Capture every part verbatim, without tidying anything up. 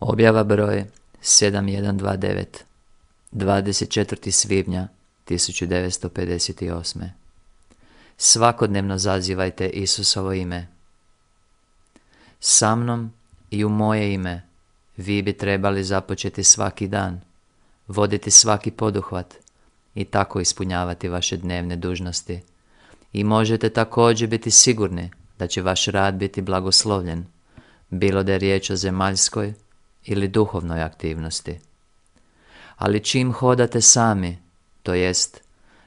Objava broj sedam jedan dva devet, dvadeset četvrtog svibnja tisuću devetsto pedeset osme. Svakodnevno zazivajte Isusovo ime. Sa mnom i u moje ime vi bi trebali započeti svaki dan, voditi svaki poduhvat i tako ispunjavati vaše dnevne dužnosti. I možete također biti sigurni da će vaš rad biti blagoslovljen, bilo da je riječ o zemaljskoj ili duhovnoj aktivnosti. Ali čim hodate sami, to jest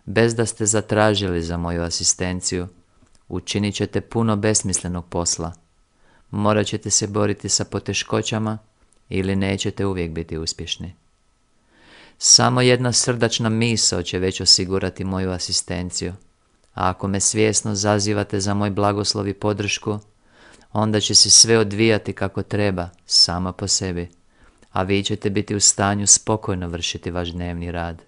bez da ste zatražili za moju asistenciju, učinit ćete puno besmislenog posla. Morat ćete se boriti sa poteškoćama ili nećete uvijek biti uspješni. Samo jedna srdačna misao će već osigurati moju asistenciju, a ako me svjesno zazivate za moj blagoslov i podršku, onda će se sve odvijati kako treba, samo po sebi, a vi ćete biti u stanju spokojno vršiti vaš dnevni rad.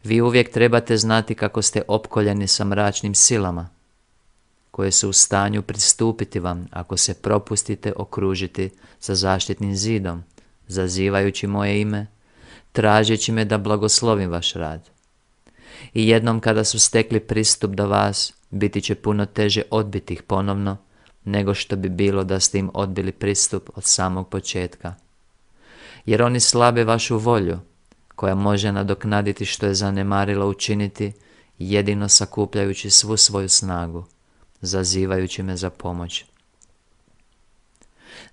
Vi uvijek trebate znati kako ste opkoljeni sa mračnim silama, koje su u stanju pristupiti vam ako se propustite okružiti sa zaštitnim zidom, zazivajući moje ime, tražeći me da blagoslovim vaš rad. I jednom kada su stekli pristup do vas, biti će puno teže odbiti ih ponovno, nego što bi bilo da ste im odbili pristup od samog početka. Jer oni slabe vašu volju, koja može nadoknaditi što je zanemarila učiniti, jedino sakupljajući svu svoju snagu, zazivajući me za pomoć.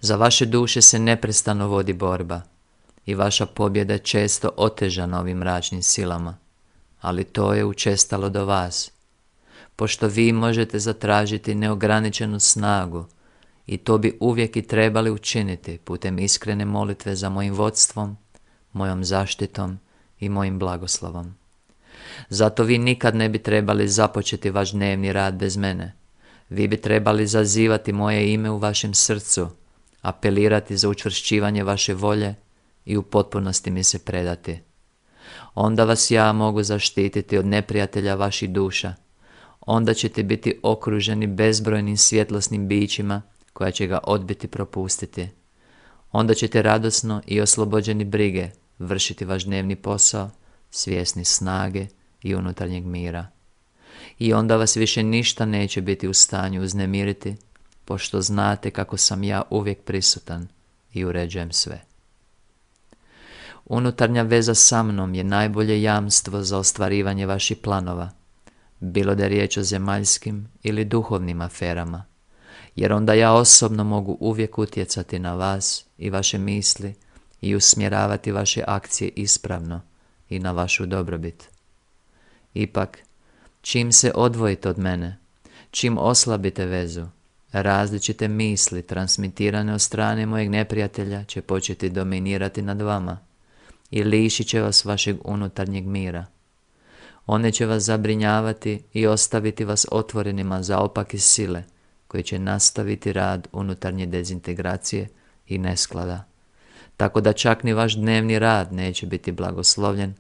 Za vaše duše se neprestano vodi borba i vaša pobjeda je često otežana ovim mračnim silama, ali to je učestalo do vas, pošto vi možete zatražiti neograničenu snagu i to bi uvijek i trebali učiniti putem iskrene molitve za mojim vodstvom, mojom zaštitom i mojim blagoslovom. Zato vi nikad ne bi trebali započeti vaš dnevni rad bez mene. Vi bi trebali zazivati moje ime u vašem srcu, apelirati za učvršćivanje vaše volje i u potpunosti mi se predati. Onda vas ja mogu zaštititi od neprijatelja vaših duša. Onda ćete biti okruženi bezbrojnim svjetlosnim bićima koja će ga odbiti propustiti. Onda ćete radosno i oslobođeni brige vršiti vaš dnevni posao, svjesni snage i unutarnjeg mira. I onda vas više ništa neće biti u stanju uznemiriti, pošto znate kako sam ja uvijek prisutan i uređujem sve. Unutarnja veza sa mnom je najbolje jamstvo za ostvarivanje vaših planova, bilo da je riječ o zemaljskim ili duhovnim aferama, jer onda ja osobno mogu uvijek utjecati na vas i vaše misli i usmjeravati vaše akcije ispravno i na vašu dobrobit. Ipak, čim se odvojite od mene, čim oslabite vezu, različite misli transmitirane od strane mojeg neprijatelja će početi dominirati nad vama i lišit će vas vašeg unutarnjeg mira. One će vas zabrinjavati i ostaviti vas otvorenima za opake sile koji će nastaviti rad unutarnje dezintegracije i nesklada, tako da čak ni vaš dnevni rad neće biti blagoslovljen,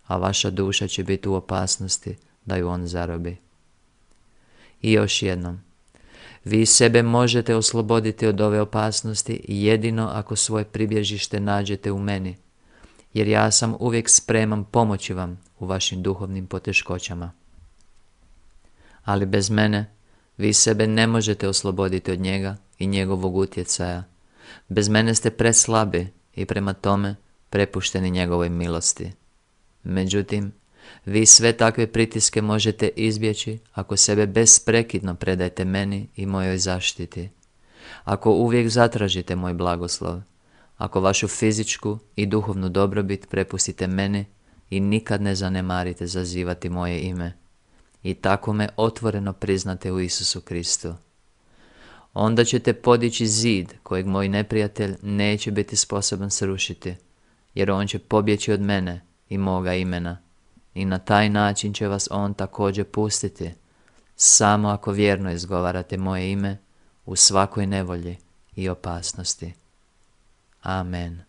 a vaša duša će biti u opasnosti da ju on zarobi. I još jednom, vi sebe možete osloboditi od ove opasnosti jedino ako svoje pribježište nađete u meni, jer ja sam uvijek spreman pomoći vam u vašim duhovnim poteškoćama. Ali bez mene vi sebe ne možete osloboditi od njega i njegovog utjecaja. Bez mene ste preslabi i prema tome prepušteni njegovoj milosti. Međutim, vi sve takve pritiske možete izbjeći ako sebe besprekidno predajete meni i mojoj zaštiti. Ako uvijek zatražite moj blagoslov, ako vašu fizičku i duhovnu dobrobit prepustite meni i nikad ne zanemarite zazivati moje ime i tako me otvoreno priznate u Isusu Kristu, onda ćete podići zid kojeg moj neprijatelj neće biti sposoban srušiti, jer on će pobjeći od mene i moga imena i na taj način će vas on također pustiti, samo ako vjerno izgovarate moje ime u svakoj nevolji i opasnosti. Amen.